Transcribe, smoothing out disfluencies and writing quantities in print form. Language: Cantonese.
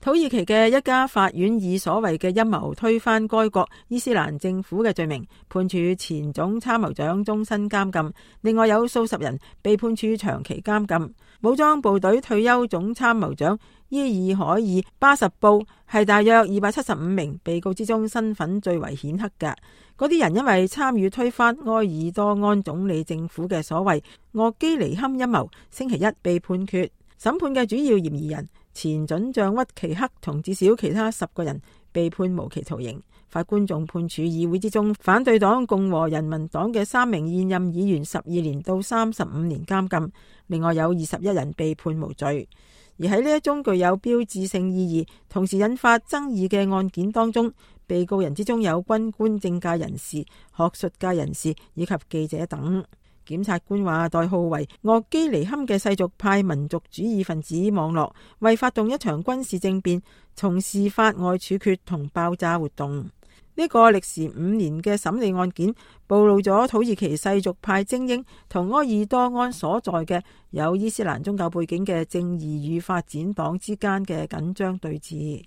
土耳其嘅一家法院以所謂嘅陰謀推翻該國伊斯蘭政府嘅罪名，判處前總參謀長終身監禁，另外有數十人被判處長期監禁。武裝部隊退休總參謀長伊爾海爾巴什布係大約275名被告之中身份最為顯赫嘅。嗰啲人因為參與推翻埃爾多安總理政府嘅所謂鄂基尼堪陰謀，星期一被判決。審判嘅主要嫌疑人前准將屈奇克同至少其他10個人被判無期徒刑。法官仲判處議會之中反對黨共和人民黨嘅3名現任議員12年到35年監禁，另外有21人被判無罪。而喺呢一宗具有標誌性意義同時引發爭議嘅案件當中，被告人之中有軍官、政界人士、學術界人士以及記者等。檢察官話，代號為鄂基尼堪嘅世俗派民族主義分子網絡為發動一場軍事政變，從事法外處決同爆炸活動。呢個歷時5年嘅審理案件，暴露咗土耳其世俗派精英同埃爾多安所在嘅有伊斯蘭宗教背景嘅正義與發展黨之間嘅緊張對峙。